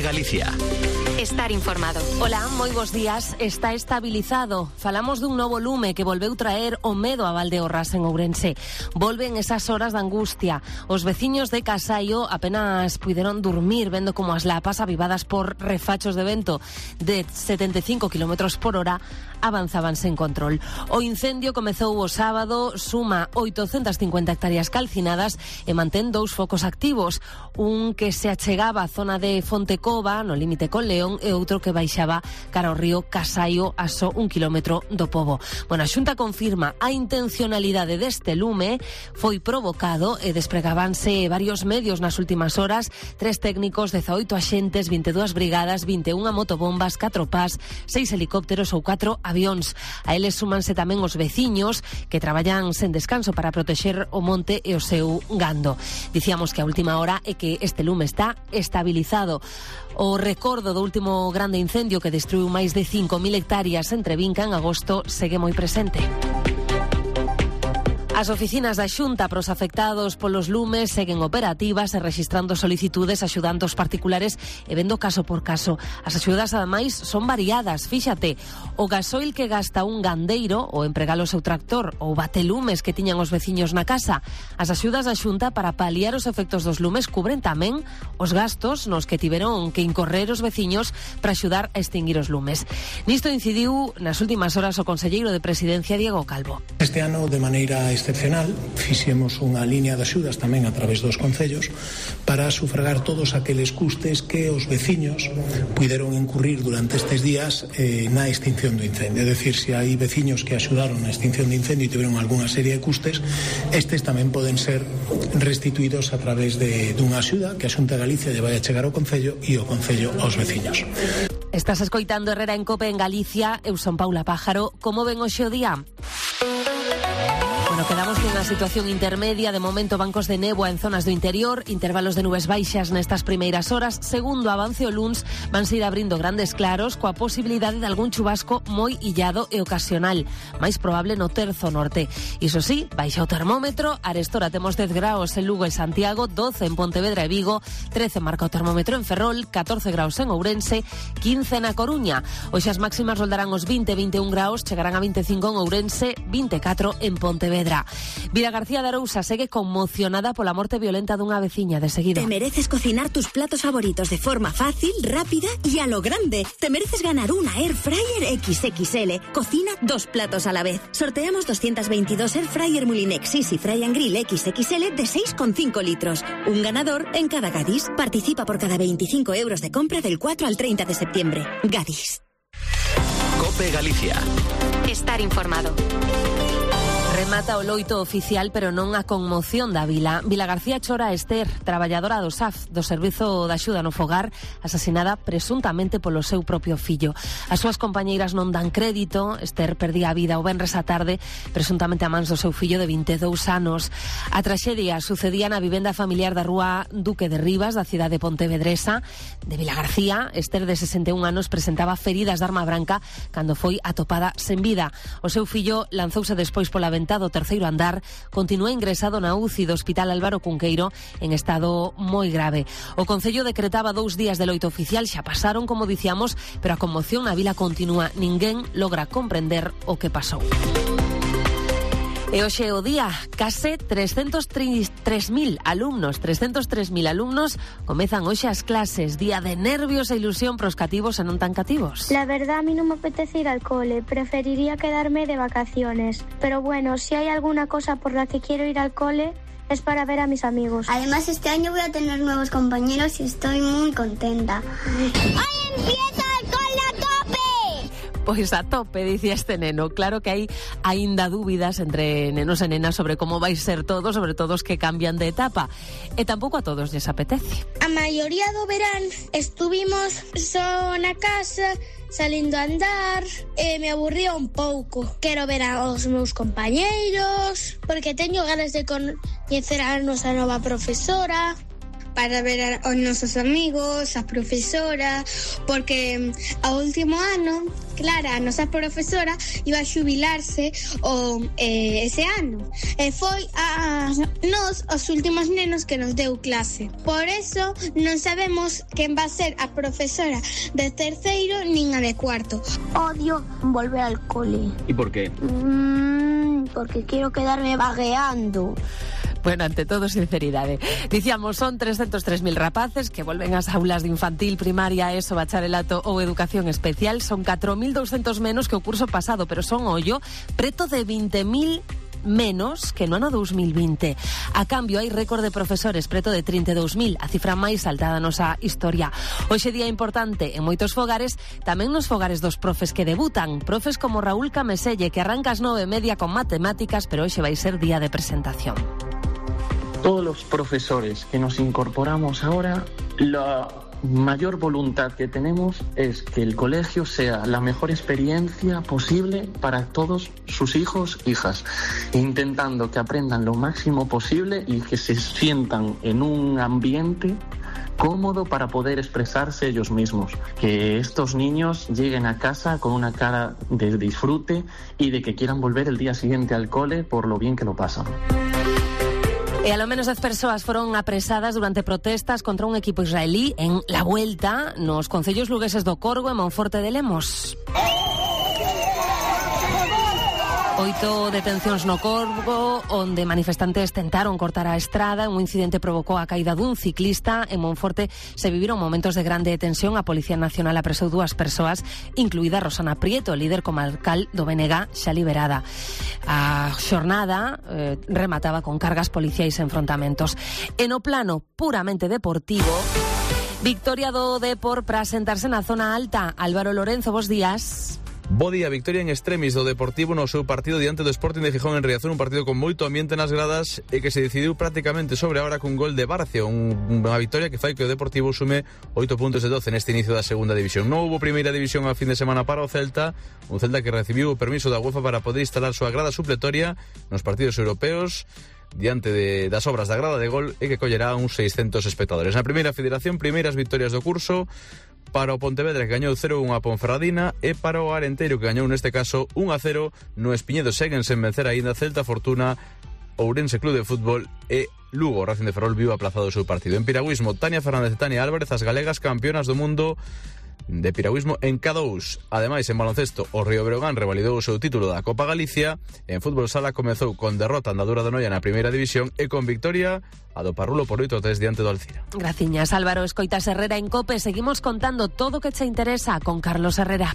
Galicia. Estar informado. Ola, moi bons días. Está estabilizado. Falamos dun novo lume que volveu traer o medo a Valdeorras en Ourense. Volven esas horas de angustia. Os veciños de Casaio apenas puideron dormir vendo como as lapas avivadas por refachos de vento de 75 km por hora avanzaban sen control. O incendio comezou o sábado, suma 850 hectáreas calcinadas e mantén 2 focos activos. Un que se achegaba á zona de Fontecova, no límite con León, e outro que baixaba cara ao río Casaio a só 1 kilómetro do Pobo. Bueno, a Xunta confirma a intencionalidade deste lume, foi provocado e despregábanse varios medios nas últimas horas, 3 técnicos, 18 axentes, 22 brigadas, 21 motobombas, 4 PAS, 6 helicópteros ou 4 avións. A eles súmanse tamén os veciños que traballan sen descanso para protexer o monte e o seu gando. Dicíamos que a última hora é que este lume está estabilizado. O recordo do último grande incendio que destruiu máis de 5.000 hectáreas en Trevinca en agosto segue moi presente. As oficinas da Xunta pros afectados polos lumes seguen operativas e rexistrando solicitudes axudando os particulares e vendo caso por caso. As axudas, ademais, son variadas. Fíxate, o gasoil que gasta un gandeiro ou empregar o seu tractor ou batelumes que tiñan os veciños na casa. As axudas da Xunta para paliar os efectos dos lumes cubren tamén os gastos nos que tiveron que incorrer os veciños para axudar a extinguir os lumes. Nisto incidiu nas últimas horas o conselleiro de Presidencia, Diego Calvo. Este ano, de maneira excepcional, fixemos unha liña de axudas tamén a través dos concellos para sufragar todos aqueles custes que os veciños puideron incurrir durante estes días na extinción do incendio. É dicir, se hai veciños que axudaron na extinción do incendio e tiveron algunha serie de custes, estes tamén poden ser restituídos a través dunha axuda que a Xunta de Galicia lle vai a chegar ao concello e o concello aos veciños. Estás escoitando Herrera en Cope en Galicia. Eu son Paula Pájaro. Como ven hoxe o día? Bueno, quedamos nunha situación intermedia. De momento, bancos de néboa en zonas do interior, intervalos de nubes baixas nestas primeiras horas. Segundo avance o luns, vanse ir abrindo grandes claros coa posibilidade de algún chubasco moi illado e ocasional, máis probable no terzo norte. Iso sí, baixa o termómetro. Arestora temos 10 graus en Lugo e Santiago, 12 en Pontevedra e Vigo, 13 marca o termómetro en Ferrol, 14 graus en Ourense, 15 na Coruña. Hoxe as máximas roldarán os 20-21 graus, chegarán a 25 en Ourense, 24 en Pontevedra. Vila García de Arousa segue conmocionada pola morte violenta dunha veciña. De seguido. Te mereces cocinar tus platos favoritos de forma fácil, rápida y a lo grande. Te mereces ganar una Air Fryer XXL. Cocina 2 platos a la vez. Sorteamos 222 Air Fryer Mulinex Easy Fry and Grill XXL de 6,5 litros. Un ganador en cada Gadis. Participa por cada 25 euros de compra del 4 al 30 de septiembre. Gadis. Cope Galicia. Estar informado. Remata o loito oficial, pero non a conmoción da vila. Vila García chora a Esther, traballadora do SAF, do Servizo de Axuda no Fogar, asasinada presuntamente polo seu propio fillo. As súas compañeiras non dan crédito. Esther perdía a vida o venres á tarde, presuntamente a mans do seu fillo de 22 anos. A traxedia sucedía na vivenda familiar da rúa Duque de Rivas, da cidade pontevedresa de Vila García. Esther, de 61 anos, presentaba feridas de arma branca cando foi atopada sen vida. O seu fillo lanzouse despois pola ventana do terceiro andar, continúa ingresado na UCI do Hospital Álvaro Cunqueiro en estado moi grave. O Concello decretaba 2 días de loito oficial, xa pasaron, como dicíamos, pero a conmoción na vila continúa. Ninguén logra comprender o que pasou. E hoxe o día, case 303.000 alumnos comezan hoxe as clases. Día de nervios e ilusión pros cativos e non tan cativos. La verdad, a mí no me apetece ir al cole, preferiría quedarme de vacaciones. Pero bueno, si hay alguna cosa por la que quiero ir al cole, es para ver a mis amigos. Además, este año voy a tener nuevos compañeros y estoy muy contenta. ¡Hoy empieza el cole a tope! Pois a tope, dicía este neno. Claro que hai aínda dúbidas entre nenos e nenas sobre como vai ser todo, sobre todo os que cambian de etapa. E tampouco a todos lles apetece. A maioría do verán estuvimos só na casa, salindo a andar, e me aburría un pouco. Quero ver aos meus compañeiros, porque teño ganas de coñecer a nosa nova profesora. para ver aos nosos amigos, as profesoras, porque ao último ano, Clara, a nosa profesora, iba a xubilarse ese ano. E foi a nós os últimos nenos que nos deu clase. Por eso non sabemos quen va a ser a profesora de terceiro nin a de cuarto. Odio volver al cole. ¿Y por qué? Porque quiero quedarme vagueando. Bueno, ante todo, sinceridade. Dicíamos, son 303.000 rapaces que volven ás aulas de infantil, primaria, ESO, bacharelato ou educación especial. Son 4.200 menos que o curso pasado, pero son, ollo, preto de 20.000 menos que no ano 2020. A cambio, hai récord de profesores, preto de 32.000, a cifra máis alta da nosa historia. Hoxe día importante en moitos fogares, tamén nos fogares dos profes que debutan. Profes como Raúl Cameselle, que arranca ás 9:30 con matemáticas, pero hoxe vai ser día de presentación. Todos los profesores que nos incorporamos ahora, la mayor voluntad que tenemos es que el colegio sea la mejor experiencia posible para todos sus hijos, hijas, intentando que aprendan lo máximo posible y que se sientan en un ambiente cómodo para poder expresarse ellos mismos. Que estos niños lleguen a casa con una cara de disfrute y de que quieran volver el día siguiente al cole por lo bien que lo pasan. E alo menos 10 persoas foron apresadas durante protestas contra un equipo israelí en La Vuelta nos concellos lugueses do Corgo e Monforte de Lemos. 8 detencións no Corgo, onde manifestantes tentaron cortar a estrada. Un incidente provocou a caída dun ciclista. En Monforte se viviron momentos de grande tensión. A Policía Nacional apresou 2 persoas, incluída Rosana Prieto, líder comarcal do BNG, xa liberada. A xornada remataba con cargas policiais e enfrontamentos. E no plano puramente deportivo, victoria do Depor para sentarse na zona alta. Álvaro Lorenzo, bos días. Bo día, victoria en extremis do Deportivo no seu partido diante do Sporting de Gijón en Riazor, un partido con moito ambiente nas gradas e que se decidiu prácticamente sobre a hora cun gol de Barcio, unha victoria que fai que o Deportivo sume 8 puntos de 12 neste inicio da segunda división. Non houbo primeira división a fin de semana para o Celta, un Celta que recibiu o permiso da UEFA para poder instalar súa grada supletoria nos partidos europeos diante das obras da grada de gol e que collerá uns 600 espectadores. Na primeira federación, primeiras victorias do curso para o Pontevedra, que gañou 0-1 a Ponferradina, e para o Arenteiro, que gañou neste caso 1-0 no Espiñedo. Seguen sen vencer aínda Celta, Fortuna, Ourense Club de Fútbol e Lugo. O Racing de Ferrol viu aplazado o seu partido. En piragüismo, Tania Fernández e Tania Álvarez, as galegas campeonas do mundo de piragüismo en K2. Ademais, en baloncesto, o Río Breogán revalidou o seu título da Copa Galicia. En fútbol sala comezou con derrota andadura do Noia na primeira división e con victoria a do Parrulo por 8-3 diante do Alcira. Graciñas, Álvaro. Escoitas Herrera en COPE. Seguimos contando todo o que che interesa con Carlos Herrera.